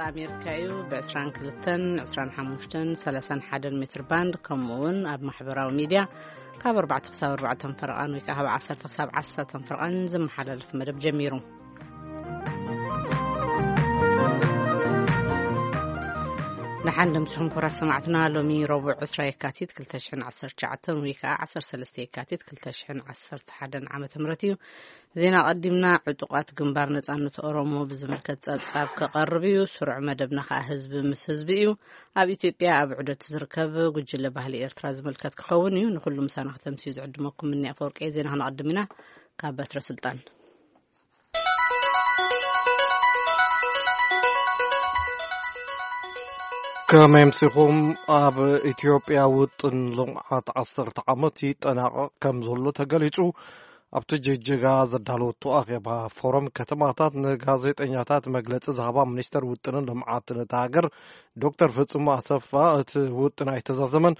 ኣሜሪካ እዩ። ብ22፣ 25፣ 31 ሜትር ባንድ፣ ከምኡ እውን ኣብ ማሕበራዊ ሚድያ ካብ ኣርባዕተ ክሳብ ኣርባዕተ ፈረቓን ወይ ከዓ ካብ ዓሰርተ ክሳብ ዓሰርተ ፈረቓን ዝመሓላለፍ መደብ ጀሚሩ። ንሓን ደምስኹም ክቡራት ሰማዕትና፣ ሎሚ ረቡዕ ዕስራ የካቲት ክልተ ሽሕን ዓሰርተ ትሽዓተን ወይ ከዓ ዓሰርተ ሰለስተ የካቲት ክልተ ሽሕን ዓሰርተ ሓደን ዓመተ ምህረት እዩ። ዜና ቀዲምና። ዕጡቓት ግንባር ነጻነት ኦሮሞ ብዝምልከት ጸብጻብ ክቐርብ እዩ። ስሩዕ መደብና ከኣ ህዝቢ ምስ ህዝቢ እዩ። ኣብ ኢትዮጵያ ኣብ ዑደት ዝርከብ ጉጅለ ባህሊ ኤርትራ ዝምልከት ክኸውን እዩ። ንኹሉ ምሳና ክተምስዩ ዝዕድመኩም ምኒ ኣፈወርቂ። ዜና ክነቐድም ኢና። ካብ በትረ ስልጣን። ከመይ ኣምሲኹም? ኣብ ኢትዮጵያ ውጥን ልምዓት ዓሰርተ ዓመት ይጠናቐቕ ከም ዘሎ ተገሊጹ። ኣብቲ ጅጅጋ ዘዳለወቶ ኣኼባ ፎረም ከተማታት ንጋዜጠኛታት መግለጺ ዝሃባ ሚኒስተር ውጥንን ልምዓትን እታ ሃገር ዶክተር ፍጹም ኣሰፋ፣ እቲ ውጥን ኣይተዛዘመን።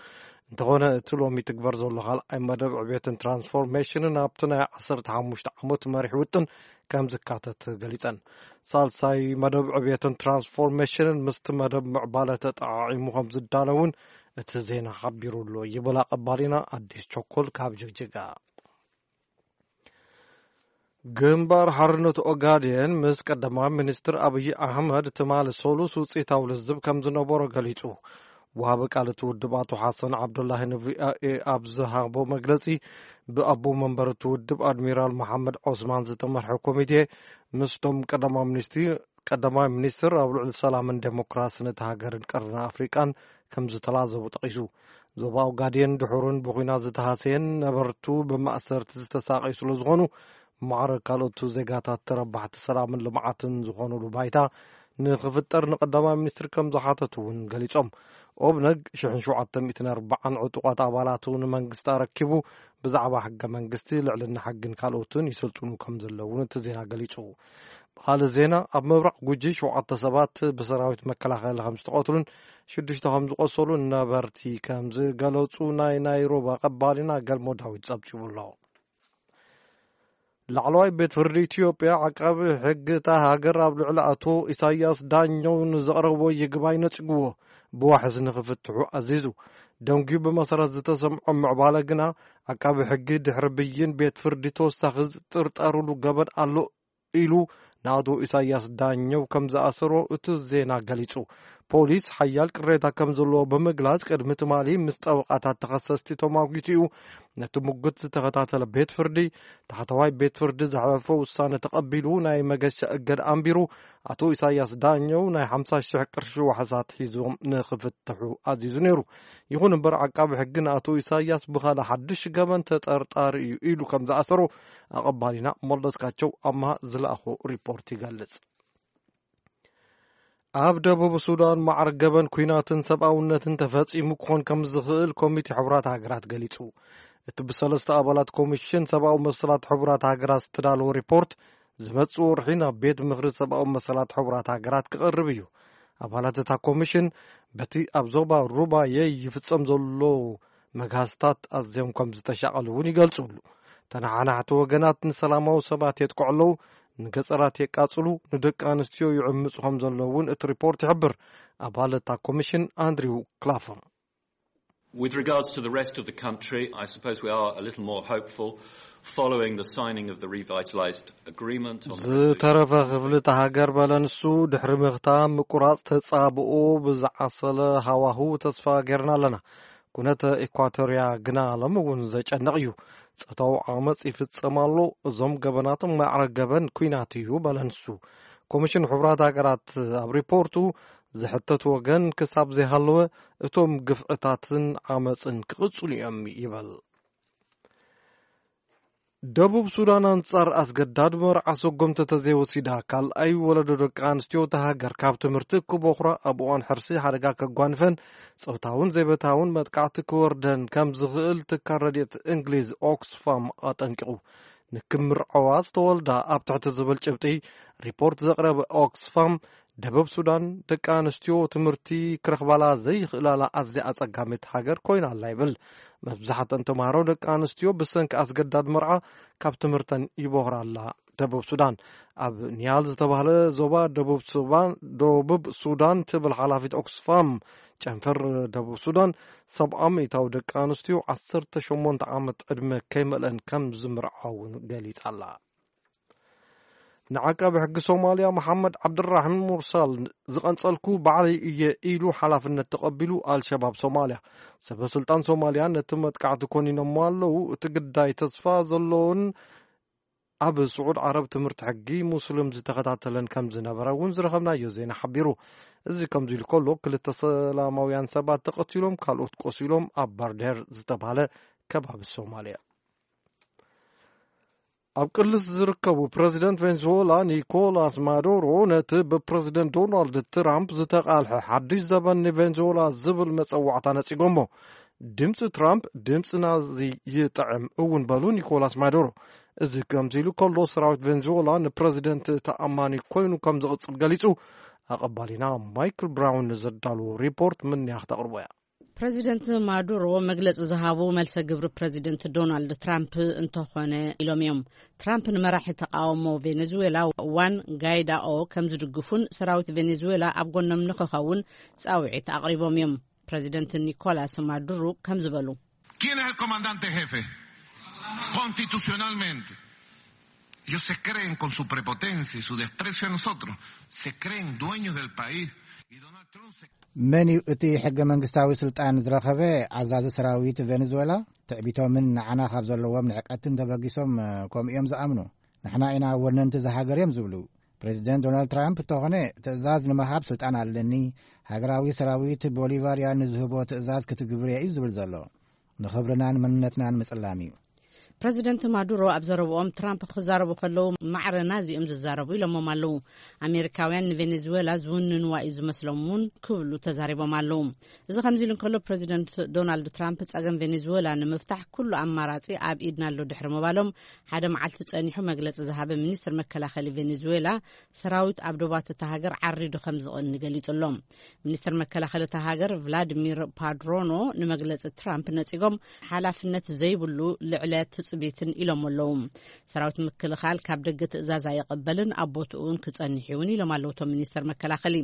እንተኾነ እቲ ሎሚ ትግበር ዘሎ ካልኣይ መደብ ዕቤትን ትራንስፎርሜሽንን ኣብቲ ናይ ዓሰርተ ሓሙሽተ ዓመት መሪሕ ውጥን ከም ዝካተት ገሊጸን። ሳልሳይ መደብ ዕቤትን ትራንስፎርሜሽንን ምስቲ መደብ ምዕባለ ተጠዓዒሙ ከም ዝዳለውን እቲ ዜና ሓቢሩ ኣሎ ይብል ኣቐባሊና ኣዲስ ቸኮል ካብ ጅግጅጋ። ግንባር ሓርነት ኦጋዴን ምስ ቀዳማይ ሚኒስትር ኣብይ ኣሕመድ ትማሊ ሰሉስ ውፅኢታዊ ልዝብ ከም ዝነበሮ ገሊጹ። ወሃቢ ቃል እቲ ውድብ ኣቶ ሓሰን ዓብዱላሂ ንቪኦኤ ኣብ ዝሃቦ መግለጺ፣ ብኣቦ መንበር እቲ ውድብ ኣድሚራል መሓመድ ዖስማን ዝተመርሐ ኮሚቴ ምስቶም ቀዳማይ ሚኒስትር ቀዳማይ ሚኒስትር ኣብ ልዕሊ ሰላምን ዴሞክራስን እቲ ሃገርን ቀርኒ ኣፍሪቃን ከም ዝተላዘቡ ጠቒሱ። ዞባ ኦጋዴን ድሑርን ብኹናት ዝተሃሰየን ነበርቱ ብማእሰርቲ ዝተሳቐዩ ስለ ዝኾኑ፣ ማዕረ ካልኦት ዜጋታት ተረባሕቲ ሰላምን ልምዓትን ዝኾኑሉ ባይታ ንኽፍጠር ንቀዳማይ ሚኒስትር ከም ዝሓተቱ እውን ገሊጾም። ኦብነግ ሽሕን ሸውዓተ ሚእትን ኣርባዓን ዕጡቓት ኣባላቱ ንመንግስቲ ኣረኪቡ ብዛዕባ ሕገ መንግስቲ፣ ልዕልና ሕግን ካልኦትን ይስልጥኑ ከም ዘለዉ እቲ ዜና ገሊጹ። ብኻልእ ዜና፣ ኣብ ምብራቕ ጉጂ ሸውዓተ ሰባት ብሰራዊት መከላኸሊ ከም ዝተቐትሉን ሽዱሽተ ከም ዝቆሰሉን ነበርቲ ከም ዝገለጹ ናይ ናይሮቢ ኣቐባሊና ገልሞ ዳዊት ጸብጺቡ ኣሎ። ላዕለዋይ ቤት ፍርዲ ኢትዮጵያ ዓቃቢ ሕጊ እታ ሃገር ኣብ ልዕሊ ኣቶ ኢሳያስ ዳኘው ንዘቕረቦ ይግባይ ነጺግዎ ብዋሕስ ንኽፍትሑ ኣዚዙ። ደንጉዩ ብመሰረት ዝተሰምዖ ምዕባለ ግና፣ ዓቃቢ ሕጊ ድሕሪ ብይን ቤት ፍርዲ ተወሳኺ ዝጥርጠርሉ ገበን ኣሎ ኢሉ ንኣቶ ኢሳያስ ዳኘው ከም ዝኣሰሮ እቲ ዜና ገሊጹ። ፖሊስ ሓያል ቅሬታ ከም ዘለዎ ብምግላጽ፣ ቅድሚ ትማሊ ምስ ጠበቓታት ተኸሰስቲ ተሟጊቱ እዩ። ነቲ ምጉት ዝተኸታተለ ቤት ፍርዲ፣ ታሕተዋይ ቤት ፍርዲ ዘሕለፎ ውሳነ ተቐቢሉ ናይ መገሻ እገዳ ኣንቢሩ። ኣቶ ኢሳያስ ዳኘው ናይ ሓምሳ ሽሕ ቅርሺ ዋሕሳት ሒዞም ንኽፍትሑ ኣዚዙ ነይሩ። ይኹን እምበር፣ ዓቃቢ ሕጊ ንኣቶ ኢሳያስ ብኻልእ ሓድሽ ገበን ተጠርጣሪ እዩ ኢሉ ከም ዝኣሰሮ ኣቐባሊና መለስካቸው ኣምሃ ዝለኣኾ ሪፖርት ይገልጽ። ኣብ ደቡብ ሱዳን ማዕረ ገበን ኲናትን ሰብኣውነትን ተፈጺሙ ክኾን ከም ዝኽእል ኮሚቴ ሕቡራት ሃገራት ገሊጹ። እቲ ብሰለስተ ኣባላት ኮሚሽን ሰብኣዊ መሰላት ሕቡራት ሃገራት ዝተዳለወ ሪፖርት ዝመጽእ ወርሒ ናብ ቤት ምኽሪ ሰብኣዊ መሰላት ሕቡራት ሃገራት ክቐርብ እዩ። ኣባላት እታ ኮሚሽን በቲ ኣብ ዞባ ሩባየ ይፍጸም ዘሎ መግሃስታት ኣዝዮም ከም ዝተሻቐሉ እውን ይገልጹ። ተነሓናሕቲ ወገናት ንሰላማዊ ሰባት የጥቅዑ ኣለዉ፣ ንገጸራት የቃጽሉ፣ ንደቂ ኣንስትዮ ይዕምጹ ከም ዘለዉ እውን እቲ ሪፖርት ይሕብር። ኣባል እታ ኮሚሽን ኣንድሪው ክላፈም። With regards to the rest of the country, I suppose we are a little more hopeful following the signing of the revitalized agreement on the residential ዝተረፈ ክፍሊ እታ ሃገር፣ በለ ንሱ፣ ድሕሪ ምኽታም ምቁራጽ ተጻብኦ ብዝዓሰለ ሃዋህው ተስፋ ጌርና ኣለና። ኩነተ ኢኳቶርያ ግና ሎሚ እውን ዘጨንቕ እዩ። ጾታዊ ዓመጽ ይፍጸም ኣሎ። እዞም ገበናት ማዕረ ገበን ኲናት እዩ፣ በለ ንሱ። ኮሚሽን ሕቡራት ሃገራት ኣብ ሪፖርቱ፣ ዝሕተት ወገን ክሳብ ዘይሃለወ፣ እቶም ግፍዕታትን ዓመጽን ክቕጽሉ እዮም ይበል። ደቡብ ሱዳን ኣንጻር ኣስገዳድ መርዓ ሰጎምቲ ተዘይወሲዳ፣ ካልኣይ ወለዶ ደቂ ኣንስትዮ እታ ሃገር ካብ ትምህርቲ ክቦኽራ፣ ኣብ እዋን ሕርሲ ሓደጋ ከጓንፈን ጾታውን ዘይበታውን መጥቃዕቲ ክወርደን ከም ዝኽእል ትካል ረድኤት እንግሊዝ ኦክስፋም ኣጠንቂቑ። ንክምርዐዋ ዝተወልዳ ኣብ ትሕቲ ዝብል ጭብጢ ሪፖርት ዘቕረበ ኦክስፋም፣ ደቡብ ሱዳን ደቂ ኣንስትዮ ትምህርቲ ክረኽባላ ዘይኽእላላ ኣዝያ ኣጸጋሚት ሃገር ኮይና ኣላ ይብል። መብዛሕትአን ተምሃሮ ደቂ ኣንስትዮ ብሰንኪ ኣስገዳድ መርዓ ካብ ትምህርተን ይቦኽራ ኣላ ደቡብ ሱዳን። ኣብ ኒያል ዝተባህለ ዞባ ደቡብ ሱዳን፣ ደቡብ ሱዳን ትብል ሓላፊት ኦክስፋም፣ ጨንፈር ደቡብ ሱዳን፣ ሰብዓ ሚእታዊ ደቂ ኣንስትዮ ዓሰርተ ሸሞንተ ዓመት ዕድመ ከይመልአን ከም ዝምርዓውን ገሊጻ ኣላ። ንዓቃቢ ሕጊ ሶማልያ መሓመድ ዓብድራሕም ሙርሳል ዝቐንጸልኩ ባዕለይ እየ ኢሉ ሓላፍነት ተቐቢሉ ኣልሸባብ ሶማልያ። ሰበ ስልጣን ሶማልያ ነቲ መጥቃዕቲ ኮኒኖሞ ኣለዉ። እቲ ግዳይ ተስፋ ዘለዎን ኣብ ስዑድ ዓረብ ትምህርቲ ሕጊ ሙስሊም ዝተኸታተለን ከም ዝነበረ እውን ዝረኸብናዮ ዜና ሓቢሩ። እዚ ከምዚ ኢሉ ከሎ ክልተ ሰላማውያን ሰባት ተቐቲሎም ካልኦት ቆሲሎም ኣብ ባርዴር ዝተባህለ ከባቢ ሶማልያ። ኣብ ቅልስ ዝርከቡ ፕረዚደንት ቬንዙዌላ ኒኮላስ ማዱሮ ነቲ ብፕረዚደንት ዶናልድ ትራምፕ ዝተቃልሐ ሓድሽ ዘበን ንቬንዙዌላ ዝብል መጸዋዕታ ነጺጎሞ። ድምፂ ትራምፕ ድምፂ ናዚ ይጥዕም እውን በሉ ኒኮላስ ማዱሮ። እዚ ከምዚ ኢሉ ከሎ ሰራዊት ቬንዙዌላ ንፕረዚደንት ተኣማኒ ኮይኑ ከም ዝቕጽል ገሊጹ። ኣቐባሊና ማይክል ብራውን ንዘዳልዎ ሪፖርት ምንያ ክተቕርቦ እያ። ፕረዚደንት ማዱሮ መግለጺ ዝሃቡ መልሰ ግብሪ ፕረዚደንት ዶናልድ ትራምፕ እንተኾነ ኢሎም እዮም። ትራምፕ ንመራሒ ተቃውሞ ቬኔዙዌላ ዋን ጋይዳኦ ከም ዝድግፉን ሰራዊት ቬኔዙዌላ ኣብ ጎኖም ንክኸውን ጻውዒት ኣቕሪቦም እዮም። ፕረዚደንት ኒኮላስ ማዱሮ ከም ዝበሉ ¿Quién es el comandante jefe? Constitucionalmente. Ellos se creen con su prepotencia y su desprecio a nosotros. Se creen dueños del país. Y Donald Trump se መን እዩ እቲ ሕገ መንግስታዊ ስልጣን ዝረኸበ? ኣዛዚ ሰራዊት ቬኔዙዌላ። ትዕቢቶምን ንዓና ካብ ዘለዎም ንዕቀትን ተበጊሶም፣ እ፣ ከምኡ እዮም ዝኣምኑ። ንሕና ኢና ወነንቲ እዛ ሃገር እዮም ዝብሉ። ፕሬዚደንት ዶናልድ ትራምፕ እንተኾነ ትእዛዝ ንምሃብ ስልጣን ኣለኒ፣ ሃገራዊ ሰራዊት ቦሊቫርያ ንዝህቦ ትእዛዝ ክትግብር እየ እዩ ዝብል ዘሎ። ንኽብርናን መንነትናን ምጽላም እዩ። ፕረዚደንት ማዱሮ ኣብ ዘረብኦም ትራምፕ ክዛረቡ ከለዉ ማዕረ ናዚ እዮም ዝዛረቡ ኢሎሞም ኣለዉ። ኣሜሪካውያን ንቬኔዙዌላ ዝውንንዋ እዩ ዝመስሎም እውን ክብሉ ተዛሪቦም ኣለዉ። እዚ ከምዚ ኢሉ እንከሎ ፕረዚደንት ዶናልድ ትራምፕ ጸገም ቬኔዙዌላ ንምፍታሕ ኩሉ ኣማራጺ ኣብ ኢድና ኣሎ ድሕሪ ምባሎም ሓደ መዓልቲ ጸኒሑ መግለጺ ዝሃበ ሚኒስትር መከላኸሊ ቬኔዙዌላ ሰራዊት ኣብ ዶባት እታ ሃገር ዓሪዱ ከም ዝቐኒ ገሊጹ ኣሎ። ሚኒስትር መከላኸሊ እታ ሃገር ቭላዲሚር ፓድሮኖ ንመግለጺ ትራምፕ ነጺጎም ሓላፍነት ዘይብሉ ልዕለ ትጽቢትን ኢሎም ኣለዉ። ሰራዊት ምክልኻል ካብ ደገ ትእዛዝ ኣይቕበልን ኣብ ቦትኡ እውን ክጸንሕ እውን ኢሎም ኣለዉ እቶም ሚኒስትር መከላኸሊ።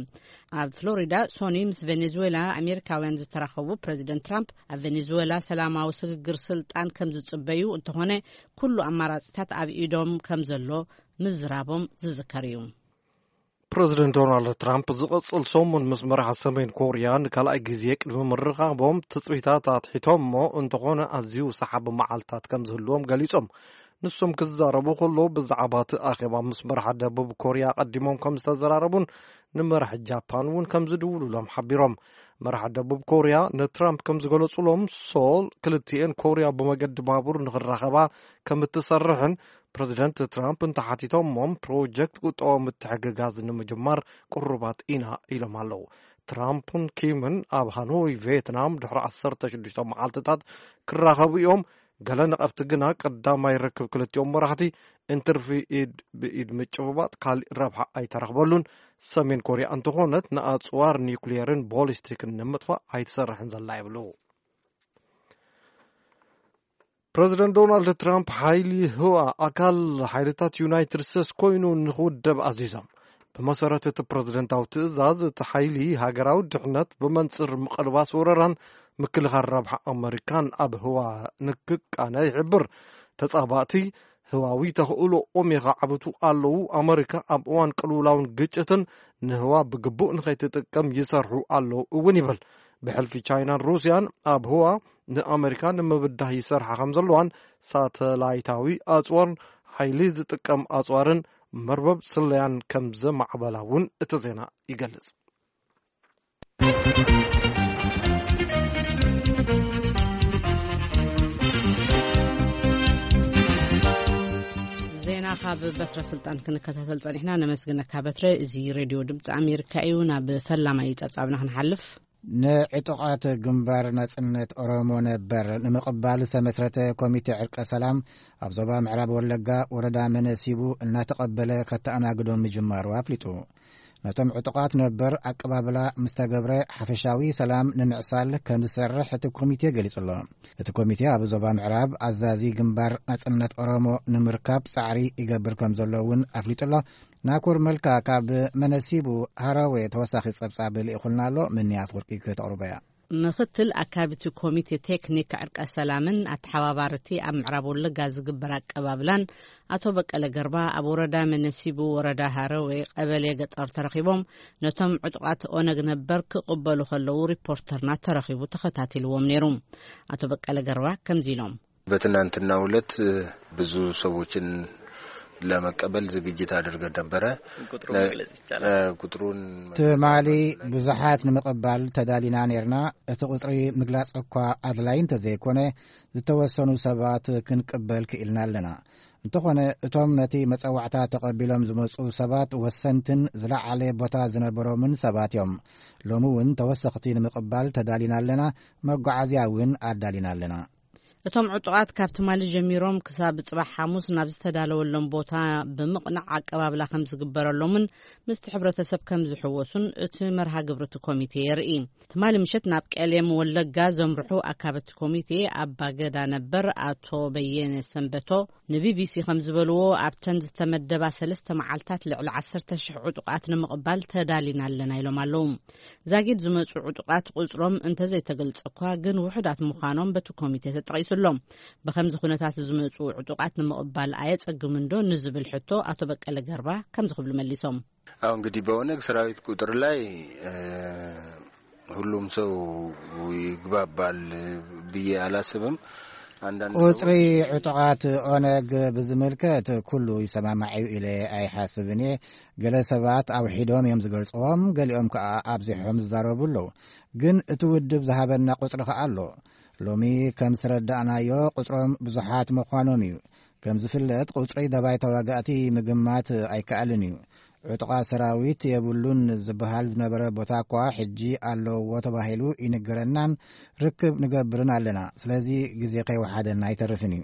ኣብ ፍሎሪዳ ሶኒ ምስ ቬኔዙዌላ ኣሜሪካውያን ዝተራኸቡ ፕረዚደንት ትራምፕ ኣብ ቬኔዙዌላ ሰላማዊ ስግግር ስልጣን ከም ዝጽበዩ እንተኾነ ኩሉ ኣማራጺታት ኣብ ኢዶም ከም ዘሎ ምዝራቦም ዝዝከር እዩ። ፕረዚደንት ዶናልድ ትራምፕ ዝቐጽል ሰሙን ምስ መራሒ ሰሜን ኮርያ ንካልኣይ ግዜ ቅድሚ ምርኻቦም ትጽቢታት ኣትሒቶም እሞ እንተኾነ ኣዝዩ ሰሓቢ መዓልታት ከም ዝህልዎም ገሊጾም። ንሶም ክዛረቡ ከሎ ብዛዕባ እቲ ኣኼባ ምስ መራሒ ደቡብ ኮርያ ኣቐዲሞም ከም ዝተዘራረቡን ንመራሒ ጃፓን እውን ከም ዝድውሉሎም ሓቢሮም። መራሒ ደቡብ ኮርያ ንትራምፕ ከም ዝገለጹሎም ሶል ክልቲኤን ኮርያ ብመገዲ ባቡር ንኽራኸባ ከም እትሰርሕን ፕረዚደንት ትራምፕ እንተሓቲቶሞም ፕሮጀክት ቁጠባዊ ምትሕግጋዝ ንምጅማር ቅሩባት ኢና ኢሎም ኣለዉ። ትራምፕን ኪምን ኣብ ሃኖይ ቬትናም ድሕሪ ዓሰርተ ሽዱሽተ መዓልትታት ክራኸቡ እዮም። ገለ ነቐፍቲ ግና ቀዳማይ ርክብ ክልቲኦም መራሕቲ እንትርፊ ኢድ ብኢድ ምጭብባጥ ካሊእ ረብሓ ኣይተረኽበሉን። ሰሜን ኮርያ እንተኾነት ንኣጽዋር ኒውክሊየርን ቦሊስቲክን ንምጥፋእ ኣይትሰርሕን ዘላ ይብሉ። ፕረዚደንት ዶናልድ ትራምፕ ሓይሊ ህዋ ኣካል ሓይልታት ዩናይትድ ስቴትስ ኮይኑ ንኽውደብ ኣዚዞም። ብመሰረት እቲ ፕረዚደንታዊ ትእዛዝ እቲ ሓይሊ ሃገራዊ ድሕነት ብመንጽር ምቕልባስ ወረራን ምክልኻል ረብሓ ኣመሪካን ኣብ ህዋ ንክቃነ ይሕብር። ተጻባእቲ ህዋዊ ተኽእሎኦም የኻዕብቱ ኣለዉ። ኣመሪካ ኣብ እዋን ቅልውላውን ግጭትን ንህዋ ብግቡእ ንኸይትጥቀም ይሰርሑ ኣለዉ እውን ይብል። ብሕልፊ ቻይናን ሩስያን ኣብ ህዋ ንኣመሪካ ንምብዳህ ይሰርሓ ከም ዘለዋን ሳተላይታዊ ኣጽዋርን ሓይሊ ዝጥቀም ኣጽዋርን መርበብ ስለያን ከም ዘማዕበላ እውን እቲ ዜና ይገልጽ። ዜና ካብ በትረ ስልጣን ክንከታተል ጸኒሕና። ነመስግነካ በትረ። እዚ ሬድዮ ድምፂ ኣሜሪካ እዩ። ናብ ፈላማይ ጸብጻብና ክንሓልፍ። ንዕጡቓት ግንባር ናጽነት ኦሮሞ ነበር ንምቕባል ዝተመስረተ ኮሚቴ ዕርቀ ሰላም ኣብ ዞባ ምዕራብ ወለጋ ወረዳ መነሲቡ እናተቐበለ ከተኣናግዶም ምጅማሩ ኣፍሊጡ። ነቶም ዕጡቓት ነበር ኣቀባብላ ምስ ተገብረ ሓፈሻዊ ሰላም ንምዕሳል ከም ዝሰርሕ እቲ ኮሚቴ ገሊጹ ኣሎ። እቲ ኮሚቴ ኣብ ዞባ ምዕራብ ኣዛዚ ግንባር ናጽነት ኦሮሞ ንምርካብ ጻዕሪ ይገብር ከም ዘሎ እውን ኣፍሊጡ ኣሎ። ናኮር መልካ ካብ መነሲቡ ሃረዌ ተወሳኺ ጸብጻብ ልኢኹልና ኣሎ። ምንያ ኣፍወርቂ ከተቕርቦ እያ። ምኽትል ኣካቢቲ ኮሚቴ ቴክኒክ ዕርቀ ሰላምን ኣተሓባባርቲ ኣብ ምዕራብ ወለጋ ዝግበር ኣቀባብላን ኣቶ በቀለ ገርባ ኣብ ወረዳ መነሲቡ ወረዳ ሃረዌ ቀበሌ ገጠር ተረኺቦም ነቶም ዕጡቓት ኦነግ ነበር ክቕበሉ ከለዉ ሪፖርተርና ተረኺቡ ተኸታቲልዎም ነይሩ። ኣቶ በቀለ ገርባ ከምዚ ኢሎም። በትናንትናው ዕለት ብዙ ሰዎችን ለመቀበል ዝግጅት አድርገን ነበረ። ቁጥሩን ነ- መግለጽ ይቻላል? እ፣ ቁጥሩን ትማሊ ብዙሓት ንምቕባል ተዳሊና ነርና። እቲ ቁጽሪ ምግላጽ እኳ ኣድላይ እንተዘይኮነ፣ ዝተወሰኑ ሰባት ክንቅበል ክኢልና ኣለና። እንተኾነ፣ እቶም ነቲ መጸዋዕታ ተቐቢሎም ዝመጹ ሰባት ወሰንትን ዝለዓለ ቦታ ዝነበሮምን ሰባት እዮም። ሎሚ እውን ተወሰኽቲ ንምቕባል ተዳሊና ኣለና። መጓዓዝያ እውን ኣዳሊና ኣለና። እቶም ዕጡቓት ካብ ትማሊ ጀሚሮም ክሳብ ጽባሕ ሓሙስ ናብ ዝተዳለወሎም ቦታ ብምቕናዕ ኣቀባብላ ከም ዝግበረሎምን ምስቲ ሕብረተሰብ ከም ዝሕወሱን እቲ መርሃ ግብሪ እቲ ኮሚቴ የርኢ። ትማሊ ምሸት ናብ ቀሌም ወለጋ ዘምርሑ ኣካበቲ ኮሚቴ ኣባ ገዳ ነበር ኣቶ በየነ ሰንበቶ ንቢቢሲ ከም ዝበልዎ፣ ኣብተን ዝተመደባ ሰለስተ መዓልታት ልዕሊ ዓሰርተ ሽሕ ዕጡቓት ንምቕባል ተዳሊና ኣለና ኢሎም ኣለዉ። ዛጊድ ዝመጹ ዕጡቓት ቁጽሮም እንተዘይተገልጸ እኳ፣ ግን ውሑዳት ምዃኖም በቲ ኮሚቴ ተጠቒሱ ኣሎ። ብኸምዚ ኩነታት ዝመጹ ዕጡቓት ንምቕባል ኣየጸግምን ዶ ንዝብል ሕቶ ኣቶ በቀለ ገርባ ከምዚ ክብሉ መሊሶም። አሁ እንግዲህ በኦነግ ሰራዊት ቁጥር ላይ፣ እ፣ ሁሉም ሰው ይግባባል ብዬ አላስብም። አንዳንድ ቁጽሪ ሰዎች ዕጡቓት ኦነግ ብዝምልከት ኩሉ ይሰማማዕ እዩ ኢለ ኣይሓስብን እየ። ገለ ሰባት ኣውሒዶም እዮም ዝገልጽዎም፣ ገሊኦም ከኣ ኣብዚሖም ዝዛረቡ ኣለዉ። ግን እቲ ውድብ ዝሃበና ቁጽሪ ከኣ ኣሎ። ሎሚ ከም ዝተረዳእናዮ ቁጽሮም ብዙሓት ምዃኖም እዩ። ከም ዝፍለጥ ቁጽሪ ደባይ ተዋጋእቲ ምግማት ኣይከኣልን እዩ። ዕጡቓት ሰራዊት የብሉን ዝበሃል ዝነበረ ቦታ እኳ ሕጂ ኣለዎ ተባሂሉ ይንገረናን ርክብ ንገብርን ኣለና። ስለዚ ግዜ ከይወሓደና ኣይተርፍን እዩ።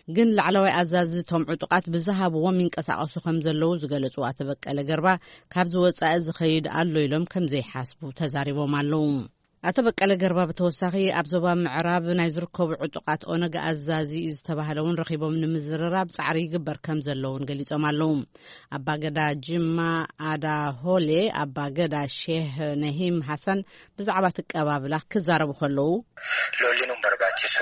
ግን ላዕለዋይ ኣዛዚ እቶም ዕጡቓት ብዝሃብዎም ይንቀሳቐሱ ከም ዘለዉ ዝገለጹ ኣቶ በቀለ ገርባ፣ ካብዚ ወጻኢ ዝኸይድ ኣሎ ኢሎም ከም ዘይሓስቡ ተዛሪቦም ኣለዉ። ኣቶ በቀለ ገርባ ብተወሳኺ ኣብ ዞባ ምዕራብ ናይ ዝርከቡ ዕጡቓት ኦነግ ኣዛዚ እዩ ዝተባህለ እውን ረኺቦም ንምዝርራብ ጻዕሪ ይግበር ከም ዘለውን ገሊጾም ኣለዉ። ኣባገዳ ጅማ ኣዳ ሆሌ ኣባገዳ ሼህ ነሂም ሃሰን ብዛዕባ እቲ ኣቀባብላ ክዛረቡ ከለዉ፣ ሎሊኑን በርባቺሱ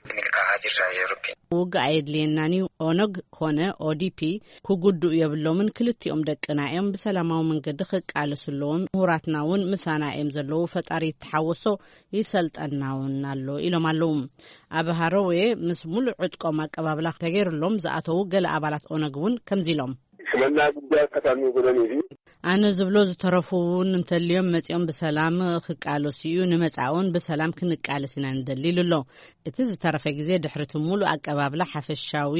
ሚልካ ሃጅር ሻየሩኪ። ውግእ ኣየድልየናን እዩ። ኦነግ ኮነ ኦዲፒ ክጉድኡ የብሎምን። ክልቲኦም ደቅና እዮም። ብሰላማዊ መንገዲ ክቃለሱ ኣለዎም። ምሁራትና እውን ምሳና እዮም ዘለዉ። ፈጣሪ ይተሓወሶ፣ ይሰልጠና እውን ኣሎ ኢሎም ኣለዉ። ኣብ ሃረዌ ምስ ሙሉእ ዕጥቆም ኣቀባብላ ተገይሩሎም ዝኣተዉ ገለ ኣባላት ኦነግ እውን ከምዚ ኢሎም። ሽመና ጉዳይ ከተሚ ጉደን እዩ። ኣነ ዝብሎ ዝተረፉ እውን እንተልዮም መጺኦም ብሰላም ክቃለሱ እዩ። ንመጻእውን ብሰላም ክንቃለስ ኢና ንደሊ ኢሉ ኣሎ። እቲ ዝተረፈ ግዜ ድሕሪ እቲ ሙሉእ ኣቀባብላ ሓፈሻዊ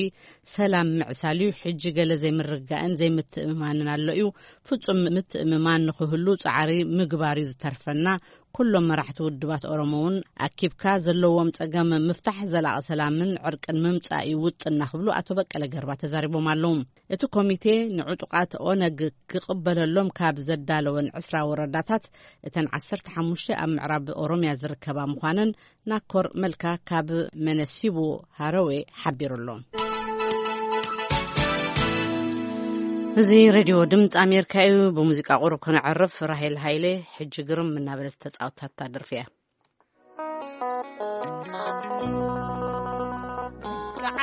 ሰላም ምዕሳል እዩ። ሕጂ ገለ ዘይምርግጋእን ዘይምትእምማንን ኣሎ እዩ። ፍጹም ምትእምማን ንኽህሉ ጻዕሪ ምግባር እዩ ዝተርፈና። ኩሎም መራሕቲ ውድባት ኦሮሞ እውን ኣኪብካ ዘለዎም ጸገም ምፍታሕ ዘላቒ ሰላምን ዕርቅን ምምጻእ እዩ ውጥንና ክብሉ ኣቶ በቀለ ገርባ ተዛሪቦም ኣለዉ። እቲ ኮሚቴ ንዕጡቓት ኦነግ ክቕበለሎም ካብ ዘዳለወን ዕስራ ወረዳታት እተን ዓሰርተ ሓሙሽተ ኣብ ምዕራብ ኦሮምያ ዝርከባ ምዃነን ናኮር መልካ ካብ መነሲቡ ሃረዌ ሓቢሩ ኣሎ። እዚ ሬድዮ ድምፂ ኣሜሪካ እዩ። ብሙዚቃ ቁሩብ ክነዕርፍ። ራሄል ሃይለ ሕጂ ግርም እናበለት ዝተፃወተታ ደርፊ እያ።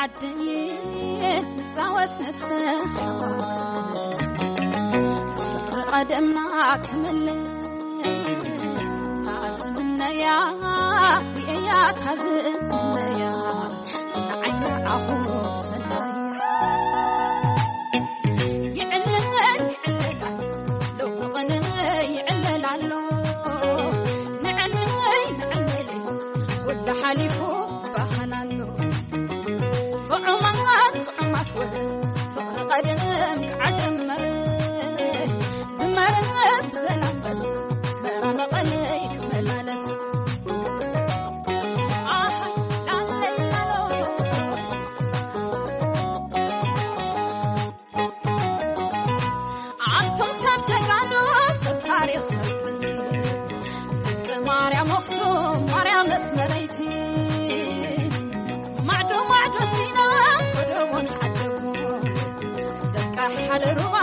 ዓዲ ፃወት ነብሰ ፍቕሪ ቀደምና ክምልስ ታዝምነያ ርእያ ታዝምነያ ንዓይና ዓኹ ሰናያ ይዕለል ይዕለል ሎሚ ቕነ ይዕለል ኣሎ ንዕለይ ንዕለይ ኩሉ ሓሊፉ ባህና ኣሎ ጥዑማት ጥዑማት ወረ ፍቕሪ ቀደም ክዓጀመረ ብመረብ ዘላበስ ኣስመራ መቐለይ ክመላለስ ኣሕ ላለይ ኣሎ ኣቶም ሰብ ተጋኑ ሰይቲ ማዕዶ ማዕዶ ቲና ወደቦን ሓደጉ ደቃ ሓደ ሩባ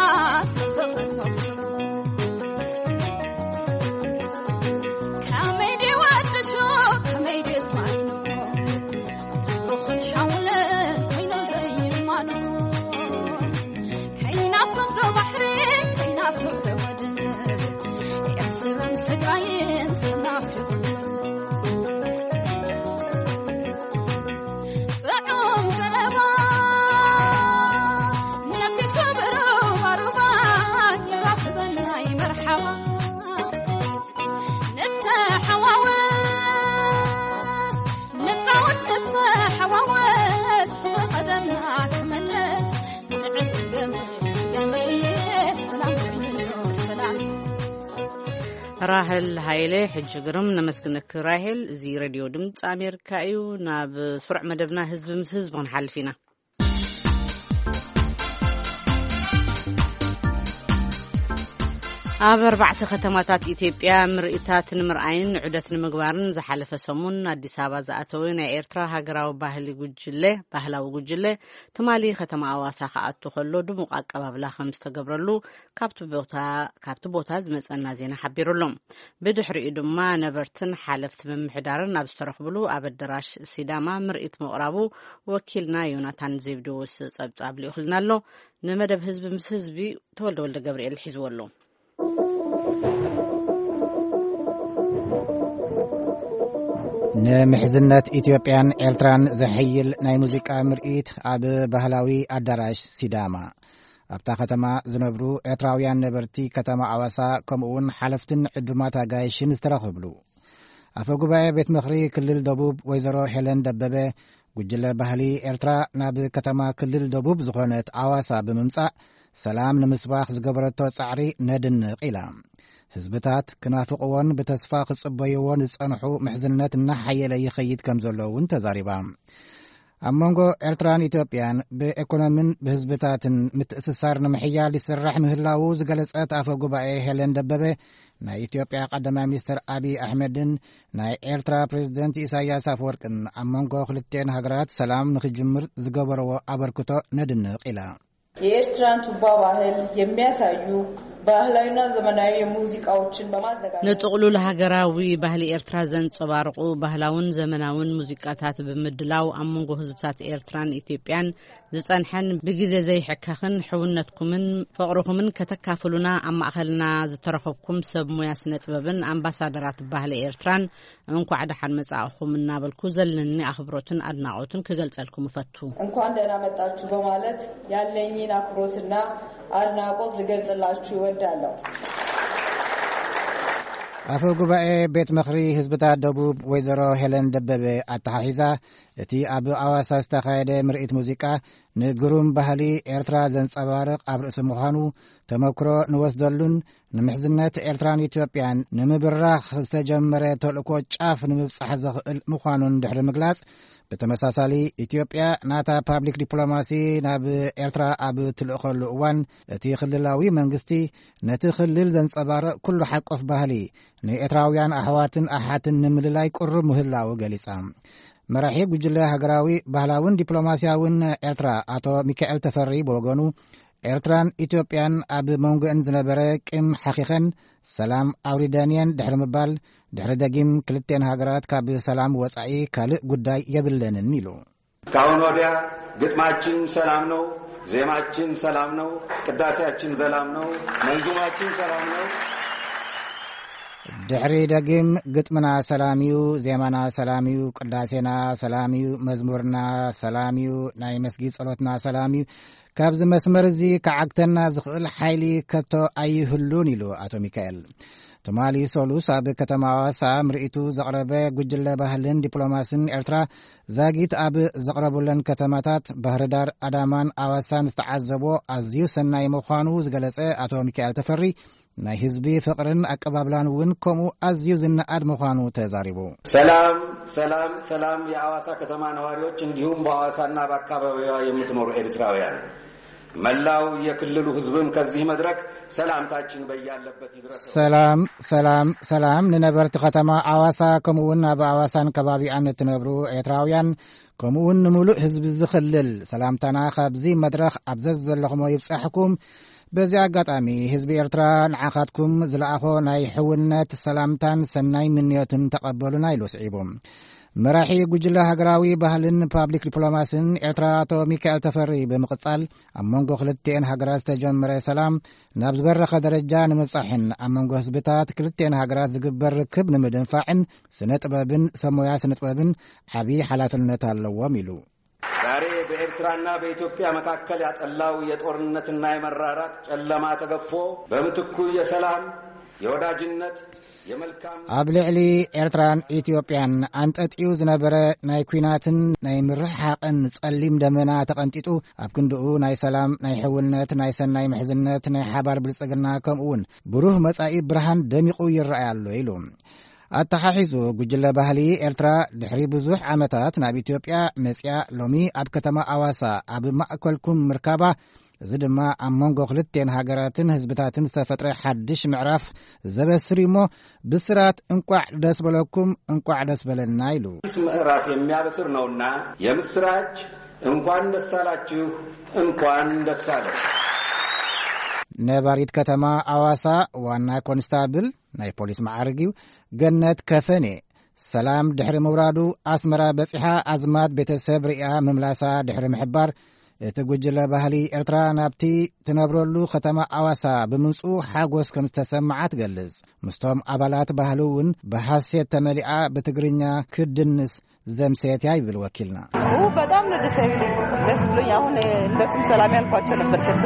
ሰፈቐት መቕስቡ ከመይ ድዩ ወድሾ ከመይ ድዩ ስማይኖ ትብሩኽን ሻውልን ወይኖ ዘይማኖ ከይናፍቕ ዶ ባሕሪ ከይናፍቕ ዶ ወደብ ኤርትራን ትግራይን ተናፊቑ ራህል ሃይለ። ሕጂ ግርም ነመስግነኪ ራሄል። እዚ ሬድዮ ድምፂ ኣሜሪካ እዩ። ናብ ስሩዕ መደብና ህዝቢ ምስ ህዝቢ ክንሓልፍ ኢና። ኣብ ኣርባዕተ ከተማታት ኢትዮጵያ ምርኢታት ንምርኣይን ዑደት ንምግባርን ዝሓለፈ ሰሙን ኣዲስ ኣበባ ዝኣተወ ናይ ኤርትራ ሃገራዊ ባህሊ ጉጅለ ባህላዊ ጉጅለ ትማሊ ከተማ ኣዋሳ ክኣቱ ከሎ ድሙቕ ኣቀባብላ ከም ዝተገብረሉ ካብቲ ቦታ ዝመጸና ዜና ሓቢሩሎም። ብድሕሪኡ ድማ ነበርትን ሓለፍቲ ምምሕዳርን ኣብ ዝተረኽብሉ ኣብ ኣደራሽ ሲዳማ ምርኢት ምቕራቡ ወኪልና ዮናታን ዜብደዎስ ጸብጻብ ልኢኹልና ኣሎ። ንመደብ ህዝቢ ምስ ህዝቢ ተወልደ ወልደ ገብርኤል ሒዝዎ ኣሎ። ንምሕዝነት ኢትዮጵያን ኤርትራን ዘሐይል ናይ ሙዚቃ ምርኢት ኣብ ባህላዊ ኣዳራሽ ሲዳማ። ኣብታ ከተማ ዝነብሩ ኤርትራውያን ነበርቲ ከተማ ኣዋሳ ከምኡውን ሓለፍትን ዕዱማት ኣጋይሽን ዝተረኸብሉ። ኣፈ ጉባኤ ቤት ምኽሪ ክልል ደቡብ ወይዘሮ ሄለን ደበበ፣ ጉጅለ ባህሊ ኤርትራ ናብ ከተማ ክልል ደቡብ ዝኾነት ኣዋሳ ብምምጻእ ሰላም ንምስባኽ ዝገበረቶ ጻዕሪ ነድንቕ ኢላ። ህዝብታት ክናፍቕዎን ብተስፋ ክጽበይዎን ዝጸንሑ ምሕዝነት እናሓየለ ይኸይድ ከም ዘሎ እውን ተዛሪባ። ኣብ መንጎ ኤርትራን ኢትዮጵያን ብኤኮኖምን ብህዝብታትን ምትእስሳር ንምሕያል ይስራሕ ምህላዉ ዝገለጸት ኣፈ ጉባኤ ሄለን ደበበ፣ ናይ ኢትዮጵያ ቀዳማይ ሚኒስትር ኣቢይ ኣሕመድን ናይ ኤርትራ ፕሬዝደንት ኢሳያስ ኣፈወርቅን ኣብ መንጎ ክልቲኤን ሃገራት ሰላም ንኽጅምር ዝገበርዎ ኣበርክቶ ነድንቕ ኢላ። የኤርትራን ቱባ ባህል የሚያሳዩ ባህላዊና ዘመናዊ ሙዚቃዎችን በማዘጋጀት ንጥቕሉል ሃገራዊ ባህሊ ኤርትራ ዘንጸባርቑ ባህላውን ዘመናውን ሙዚቃታት ብምድላው ኣብ መንጎ ህዝብታት ኤርትራን ኢትዮጵያን ዝጸንሐን ብግዜ ዘይሕከኽን ሕውነትኩምን ፍቕርኹምን ከተካፍሉና ኣብ ማእኸልና ዝተረኸብኩም ሰብ ሙያ ስነ ጥበብን ኣምባሳደራት ባህሊ ኤርትራን እንኳዕ ደሓን መጻእኹም እናበልኩ ዘለኒ ኣኽብሮትን ኣድናቖትን ክገልጸልኩም እፈቱ። እንኳን ደህና መጣችሁ በማለት ያለኝን አክብሮትና አድናቆት ልገልጽላችሁ እወዳለሁ። ኣፈ ጉባኤ ቤት ምኽሪ ህዝብታት ደቡብ ወይዘሮ ሄለን ደበበ ኣተሓሒዛ፣ እቲ ኣብ ኣዋሳ ዝተኻየደ ምርኢት ሙዚቃ ንግሩም ባህሊ ኤርትራ ዘንጸባርቕ ኣብ ርእሲ ምዃኑ፣ ተመክሮ ንወስደሉን ንምሕዝነት ኤርትራን ኢትዮጵያን ንምብራኽ ዝተጀመረ ተልእኮ ጫፍ ንምብጻሕ ዘኽእል ምዃኑን ድሕሪ ምግላጽ፣ ብተመሳሳሊ ኢትዮጵያ ናታ ፓብሊክ ዲፕሎማሲ ናብ ኤርትራ ኣብ ትልእኸሉ እዋን፣ እቲ ክልላዊ መንግስቲ ነቲ ክልል ዘንጸባርቕ ኩሉ ሓቆፍ ባህሊ ንኤርትራውያን ኣሕዋትን ኣሓትን ንምልላይ ቅሩብ ምህላዉ ገሊጻ። መራሒ ጉጅለ ሃገራዊ ባህላውን ዲፕሎማስያውን ኤርትራ ኣቶ ሚካኤል ተፈሪ ብወገኑ፣ ኤርትራን ኢትዮጵያን ኣብ መንጎአን ዝነበረ ቂም ሓኺኸን ሰላም ኣውሪደንየን ድሕሪ ምባል፣ ድሕሪ ደጊም ክልቴን ሃገራት ካብ ሰላም ወጻኢ ካልእ ጉዳይ የብለንን ኢሉ። ካሁን ወዲያ ግጥማችን ሰላም ነው፣ ዜማችን ሰላም ነው፣ ቅዳሴያችን ሰላም ነው፣ መንዙማችን ሰላም ነው። ድሕሪ ደጊም ግጥምና ሰላም እዩ፣ ዜማና ሰላም እዩ፣ ቅዳሴና ሰላም እዩ፣ መዝሙርና ሰላም እዩ፣ ናይ መስጊድ ጸሎትና ሰላም እዩ። ካብዚ መስመር እዚ ክዓግተና ዝኽእል ሓይሊ ከቶ ኣይህሉን ኢሉ ኣቶ ሚካኤል። ትማሊ ሰሉስ ኣብ ከተማ ኣዋሳ ምርኢቱ ዘቕረበ ጉጅለ ባህልን ዲፕሎማስን ኤርትራ ዛጊት ኣብ ዘቕረቡለን ከተማታት ባህርዳር፣ ኣዳማን ኣዋሳን ዝተዓዘቦ ኣዝዩ ሰናይ ምዃኑ ዝገለጸ ኣቶ ሚካኤል ተፈሪ፣ ናይ ህዝቢ ፍቕርን ኣቀባብላን እውን ከምኡ ኣዝዩ ዝነኣድ ምዃኑ ተዛሪቡ። ሰላም፣ ሰላም፣ ሰላም የአዋሳ ከተማ ነዋሪዎች እንዲሁም በአዋሳና በአካባቢዋ የምትኖሩ ኤርትራውያን። መላው የክልሉ ህዝብም ከዚህ መድረክ ሰላምታችን በያለበት ይድረሰው። ሰላም፣ ሰላም፣ ሰላም ንነበርቲ ከተማ ኣዋሳ፣ ከምኡ እውን ኣብ ኣዋሳን ከባቢኣን እትነብሩ ኤርትራውያን፣ ከምኡ እውን ንምሉእ ህዝቢ ዝኽልል ሰላምታና ካብዚ መድረኽ ኣብ ዘዘለኹሞ ይብጻሕኩም። በዚ ኣጋጣሚ ህዝቢ ኤርትራ ንዓኻትኩም ዝለኣኾ ናይ ሕውነት ሰላምታን ሰናይ ምንዮትን ተቐበሉና ኢሉ ስዒቡ። መራሒ ጉጅለ ሃገራዊ ባህልን ፓብሊክ ዲፕሎማስን ኤርትራ ኣቶ ሚካኤል ተፈሪ ብምቕጻል፣ ኣብ መንጎ ክልቲኤን ሃገራት ዝተጀመረ ሰላም ናብ ዝበረኸ ደረጃ ንምብጻሕን ኣብ መንጎ ህዝብታት ክልቲኤን ሃገራት ዝግበር ርክብ ንምድንፋዕን ስነ ጥበብን ሰብ ሞያ ስነ ጥበብን ዓቢ ሓላፍነት ኣለዎም ኢሉ። ዛሬ በኤርትራና በኢትዮጵያ መካከል ያጠላው የጦርነትና የመራራት ጨለማ ተገፎ በምትኩ የሰላም፣ የወዳጅነት፣ የመልካም ኣብ ልዕሊ ኤርትራን ኢትዮጵያን ኣንጠጥዩ ዝነበረ ናይ ኲናትን ናይ ምርሕሓቕን ጸሊም ደመና ተቐንጢጡ፣ ኣብ ክንድኡ ናይ ሰላም፣ ናይ ሕውነት፣ ናይ ሰናይ ምሕዝነት፣ ናይ ሓባር ብልጽግና፣ ከምኡ እውን ብሩህ መጻኢ ብርሃን ደሚቑ ይረኣይ ኣሎ ኢሉ። ኣተሓሒዙ፣ ጉጅለ ባህሊ ኤርትራ ድሕሪ ብዙሕ ዓመታት ናብ ኢትዮጵያ መጽያ፣ ሎሚ ኣብ ከተማ ኣዋሳ ኣብ ማእከልኩም ምርካባ፣ እዚ ድማ ኣብ መንጎ ክልቴን ሃገራትን ህዝብታትን ዝተፈጥረ ሓድሽ ምዕራፍ ዘበስር እዩ እሞ፣ ብስራት እንቋዕ ደስ በለኩም፣ እንቋዕ ደስ በለና ኢሉ። ምዕራፍ የሚያበስር ነውና የምስራች፣ እንኳን ደስ አላችሁ፣ እንኳን ደስ አለን። ነባሪት ከተማ ኣዋሳ ዋና ኮንስታብል ናይ ፖሊስ መዓርግ እዩ፣ ገነት ከፈኔ፣ ሰላም ድሕሪ ምውራዱ ኣስመራ በጺሓ ኣዝማድ ቤተሰብ ርእያ ምምላሳ ድሕሪ ምሕባር፣ እቲ ጉጅለ ባህሊ ኤርትራ ናብቲ ትነብረሉ ከተማ ኣዋሳ ብምምጽኡ ሓጎስ ከም ዝተሰምዓ ትገልጽ። ምስቶም ኣባላት ባህሊ እውን ብሓሴት ተመሊኣ ብትግርኛ ክድንስ ዘምሰየት እያ ይብል ወኪልና። ኡ፣ በጣም ነው ደስ የሚለኝ። ደስ ብሎኝ አሁን እንደሱም ሰላም ያልኳቸው ነበር። ከብዶ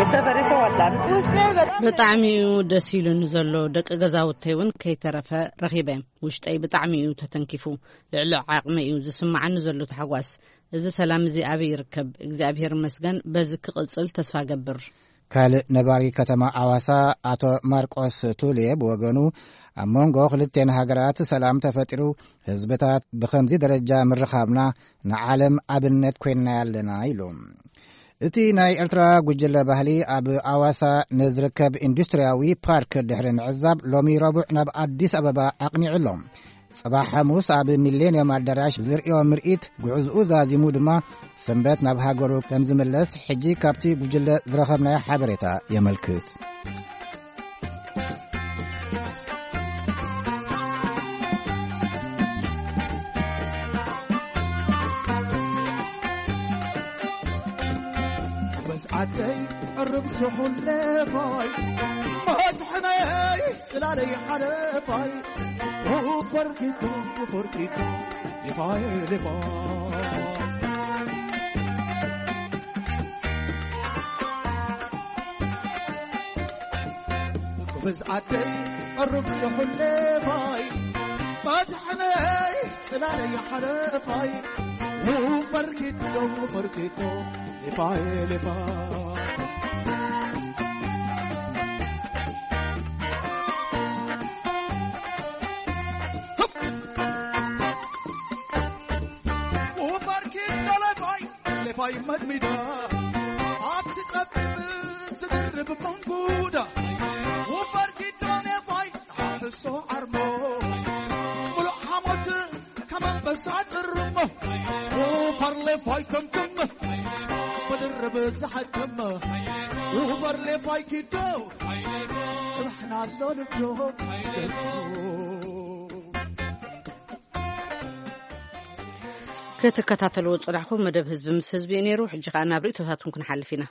የሰፈሬ ሰው አለ አይደል? ውስጤ በጣም ብጣዕሚ እዩ ደስ ኢሉኒ ዘሎ። ደቂ ገዛውተይ እውን ከይተረፈ ረኺበ። ውሽጠይ ብጣዕሚ እዩ ተተንኪፉ። ልዕሊ ዓቕሚ እዩ ዝስምዓኒ ዘሎ ታሕጓስ። እዚ ሰላም እዚ ኣበይ ይርከብ? እግዚኣብሔር ይመስገን። በዚ ክቕጽል ተስፋ ገብር። ካልእ ነባሪ ከተማ ኣዋሳ ኣቶ ማርቆስ ቱሌ ብወገኑ፣ ኣብ መንጎ ክልቴን ሃገራት ሰላም ተፈጢሩ፣ ህዝብታት ብኸምዚ ደረጃ ምርኻብና ንዓለም ኣብነት ኮይንና ኣለና ኢሉ። እቲ ናይ ኤርትራ ጉጅለ ባህሊ ኣብ ኣዋሳ ንዝርከብ ኢንዱስትርያዊ ፓርክ ድሕሪ ምዕዛብ፣ ሎሚ ረቡዕ ናብ ኣዲስ ኣበባ ኣቕኒዑ ኣሎ። ጽባሕ ሓሙስ ኣብ ሚሌንየም ኣዳራሽ ዝርእዮ ምርኢት፣ ጉዕዝኡ ዛዚሙ ድማ ሰንበት ናብ ሃገሩ ከም ዝምለስ፣ ሕጂ ካብቲ ጉጅለ ዝረኸብናዮ ሓበሬታ የመልክት። በስ ዓደይ ዕርብ ስሑል ለፋይ፣ መድሕነይ ጽላለይ ሓለፋይ፣ ወፈርኪቶ፣ ወፈርኪቶ፣ ሌፋይ፣ ሌፋይ። ጎበዝ ዓደይ ዕሩብ ስሑል ሌፋይ፣ መድሕነይ ጽላለይ ሓለፋይ፣ ወፈርኪቶ፣ ወፈርኪቶ፣ ሌፋይ፣ ሌፋይ። ወፈርኪቶ ሌፋይ፣ ሌፋይ መድሚዳ፣ ኣብቲ ጸቢብ ዝድርብ መንጉዳ። ወፈርኪቶ ሌፋይ፣ ሓሶ ዓርሞ፣ ሙሉእ ሓሞት ከም ኣንበሳ ጥርሞ። ወፈር ሌፋይ ተምትም፣ ብድርብ ዝሓትም። ወፈር ሌፋይ ኪዶ፣ ጽባሕና ኣሎ ልብዶ። ክትከታተልዎ ዝጸናሕኩም መደብ ህዝቢ ምስ ህዝቢ እዩ ነይሩ። ሕጂ ከኣ ናብ ርእይቶታትኩም ክንሓልፍ ኢና።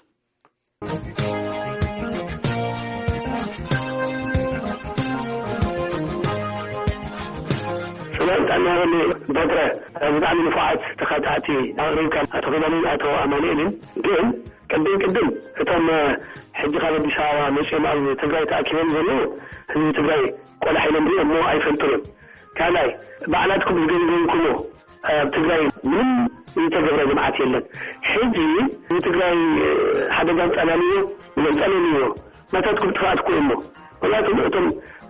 ሰላም ጥዕና ይሃበኒ በትረ። ብጣዕሚ ንፉዓት ተኻታዕቲ ኣቕሪብካ፣ ኣቶ ኪዳንን ኣቶ ኣማኑኤልን። ግን ቅድም ቅድም እቶም ሕጂ ካብ ኣዲስ ኣበባ መጺኦም ኣብ ትግራይ ተኣኪቦም ዘለዉ ህዝቢ ትግራይ ቆላሕ ኢሎም ሪኦም እሞ ኣይፈልጡን እዮም። ካልኣይ፣ ባዕላትኩም ዝገምገምኩሞ ኣብ ትግራይ ምንም ዝተገብረ ልምዓት የለን። ሕጂ ንትግራይ ሓደጋ ኣንጸላልዮ፣ ኣንጸላልዮ ናታትኩም ጥፍኣት እኮ እሞ። ምክንያቱ እቶም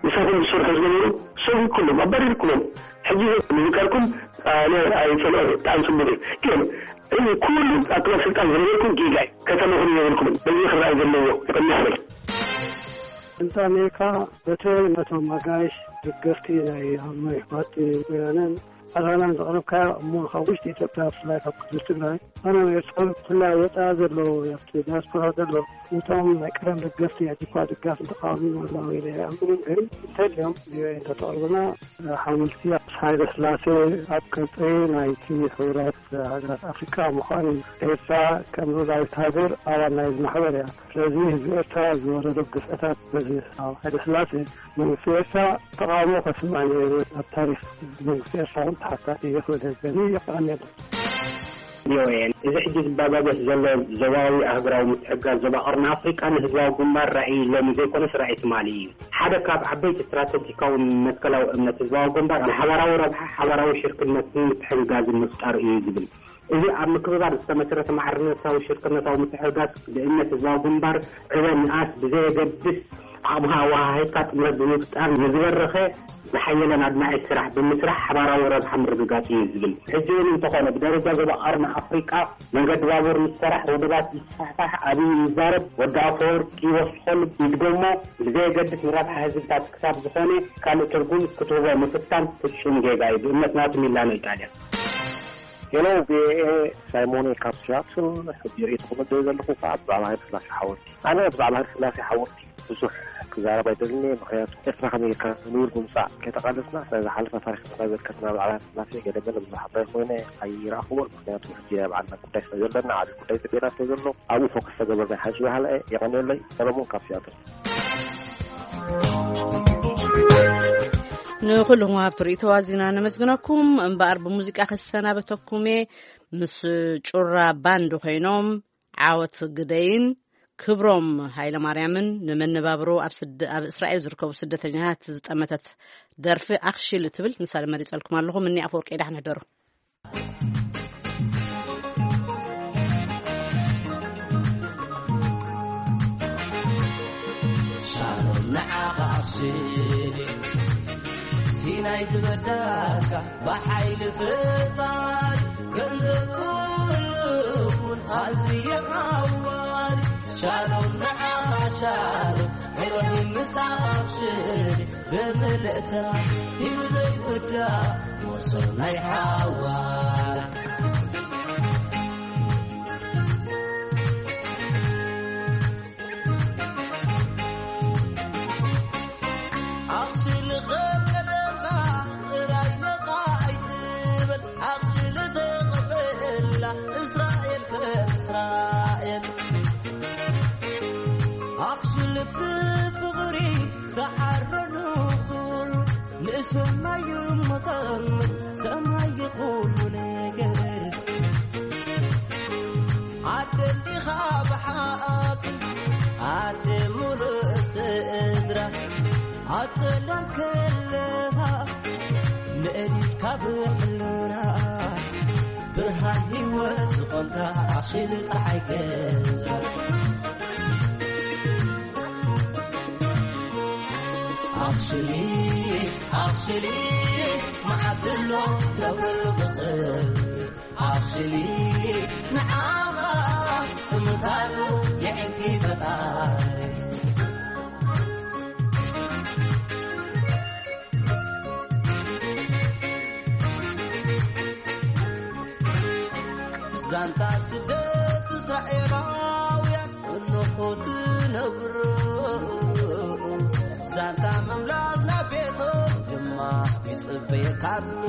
ምሳኹም ዝሰርሑ ዝነበሩ ሰጉግኩሎም፣ ኣባሪርኩሎም። ሕጂ ዝከርኩም ኣነ ኣይጸልኦ፣ ብጣዕሚ ጽቡቅ እዩ። ግን እዚ ኩሉ ኣብ ትማል ስልጣን ዝነበርኩም ጌጋ እዩ። ከተመኽሩ የብልኩም። በዚ ክረኣይ ዘለዎ ይቕንስ በል። እንተ ኣሜሪካ በተለይ ነቶም ኣጋይሽ ደገፍቲ ናይ ኣምኖ ይሕዋት ወያነን ኣላናን ዘቕረብካዮ እሞ ካብ ውሽጢ ኢትዮጵያ ብፍላይ ካብ ክልል ትግራይ ኣነ ኤርትራዊ ብፍላይ ወፃኢ ዘለዉ ኣብቲ ዲያስፖራ ዘለዉ እቶም ናይ ቀደም ደገፍቲ ሕጂ እኳ ደጋፊ ተቃዋሚ ኣለዉ ኢለ ኣይኣምንን። ግን እንተልዮም ቪኦኤ እንተተቕርብና ሓወልቲ ሃይለ ስላሴ ኣብ ቅርፂ ናይቲ ሕቡራት ሃገራት ኣፍሪቃ ምዃኑ እዩ። ኤርትራ ከም ሉላዊት ሃገር ኣባል ናይዚ ማሕበር እያ። ስለዚ ህዝቢ ኤርትራ ዝወረዶ ግፍዕታት በዚ ኣብ ሃይለ ስላሴ መንግስቲ ኤርትራ ተቃውሞ ከስምዕ ነይሩ። ኣብ ታሪክ መንግስቲ ኤርትራ እውን ተሓታቲ ይኽእል ህዝበኒ። የቐንየልና። ቪኦኤ፣ እዚ ሕጂ ዝባባገስ ዘሎ ዞባዊ ኣህጉራዊ ምትሕግጋዝ ዞባ ቀርኒ ኣፍሪቃ ንህዝባዊ ግንባር ራእይ ሎሚ ዘይኮነስ ራእይ ትማሊ እዩ። ሓደ ካብ ዓበይቲ ስትራተጂካዊ መትከላዊ እምነት ህዝባዊ ግንባር ንሓባራዊ ረብሓ ሓባራዊ ሽርክነትን ምትሕግጋዝን ምፍጣር እዩ ዝብል። እዚ ኣብ ምክብባር ዝተመስረተ ማዕርነታዊ ሽርክነታዊ ምትሕግጋዝ ብእምነት ህዝባዊ ግንባር ዕበ ንኣስ ብዘየገድስ ዓቕምኻ ኣወሃሂድካ ጥምረት ብምፍጣር ንዝበረኸ ዝሓየለን ኣድማዒ ስራሕ ብምስራሕ ሓባራዊ ረብሓ ምርግጋጽ እዩ ዝብል። ሕጂ እውን እንተኾነ ብደረጃ ዞባ ቀርኒ ኣፍሪቃ መንገዲ ባቡር ምስራሕ፣ ውድባት ምስፋሕፋሕ፣ ኣብይ ይዛረብ፣ ወዲ ኣፈወርቂ ይወስኾሉ ይድገሞ ብዘየገድስ ንረብሓ ህዝብታት ክሳብ ዝኾነ ካልእ ትርጉም ክትህቦ ምፍታን ፍጹም ጌጋ እዩ። ብእምነት ናቱ ሚላኖ ኢጣልያ። ሄሎ ቪኦኤ፣ ሳይሞኔ ካብ ሲያትል። ሕጂ ርእይቶኹም እደሊ ዘለኹ ከኣ ብዛዕባ ሃይለ ስላሴ ሓወልቲ። ኣነ ብዛዕባ ሃይለ ስላሴ ሓወልቲ ብዙሕ ክዛረብ ኣይደልን እየ፣ ምኽንያቱ ኤርትራ ከመይ ጌርካ ንቡር ብምጻእ ከይተቓለስና፣ ስለ ዝሓለፈ ታሪኽና ዘከርና ብዛዕባ ሃይለ ስላሴ ገለ ገለ ብዙሕ ኣባይ ኮይነ ኣይረኣኽዎን፣ ምኽንያቱ ሕጂ ናይ ባዕልና ጉዳይ ስለ ዘለና፣ ዓቢ ጉዳይ ጽቤና ስለ ዘሎ፣ ኣብኡ ፎከስ ተገበርና ይሓይሽ በሃላይ እየ። የቐንየለይ። ሰለሞን ካብ ሲያትል። ንኹልኹም ሃብቲ ርእይቶ ኣዚና ነመስግነኩም። እምበኣር ብሙዚቃ ክሰናበተኩም እየ። ምስ ጩራ ባንድ ኮይኖም ዓወት ግደይን ክብሮም ሃይለማርያምን ንመነባብሮ ኣብ ስደ-፣ ኣብ እስራኤል ዝርከቡ ስደተኛታት ዝጠመተት ደርፊ ኣኽሺል እትብል ንሳ መሪጸልኩም ኣለኹ። እኒ ኣፈወርቂ ዳሕን ሕደሩ። ሻሎም ንዓኻ ኣኽሽሊ ሲናይ ዝበዳካ ብሓይሊ ፍጣሪ ገንዘብ ኩሉ እውን ኣዝየ ሓዋሪ ሻሎም ንዓኻ ሻሎም ሄሮኒ ምሳኻ ኣኽሽሊ ብምልእታ ሂሩ ዘይውዳእ ሞሶብ ናይ ሓዋር ኣኽሽሊ ኸም ቀደምካ ጥራይ ነቓ ኣይትበል ኣኽሽሊ ተቐበላ እስራኤል ከም እስራኤል ኣኽሽሊ ብፍቕሪ ሰዓረሉ ኩሉ ንእሽቶ ማዩ መቐመጥ ሰማይ ይኹሉ ነገር ዓደሊኻ ብሓቂ ዓደ ሙሉእ ስድራ ኣጸላም ከለኻ ንእሊካ ብሕልና ብርሃን ህይወት ዝኾንካ ኣኽሽሊ ፀሓይ ገዛ ኣኽሽሊ ኣኽሽሊ መዓት ኣሎ ነብረሉ ብኽብሪ ኣኽሽሊ ንዓኻ ትምታሉ የዒንቲ ፈጣሪ ዛንታ ስደት እስራኤላውያን እንሆ ትነብሮ ዛንታ ምምላስ ናብ ቤቶም ድማ ይጽበየካ ኣሎ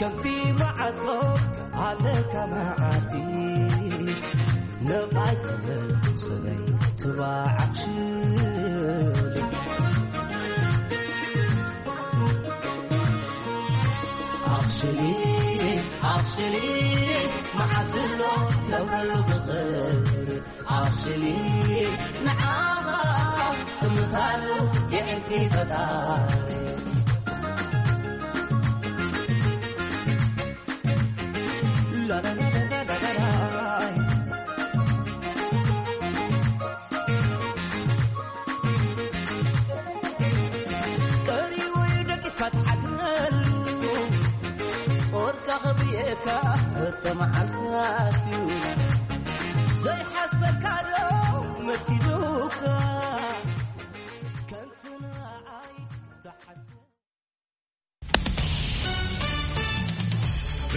ከምቲ መዓልቶም ኣለካ መዓልቲ ነቓይ ትብል ሰበይ ትባዕ ኣኽሽሊ ኣኽሽሊ ኣኽሽሊ መዓልቲ ኣሎ ነብረሉ ብኽብሪ ኣኽሽሊ ንዓኻ እምታሉ የዕንቲ ፈጣሪ ቀሪቡ እዩ ደቂስካ ትሓድረሉ ኸብየካ እተመዓልታት እዩ ዘይሓስበካ ዶ መሲሉካ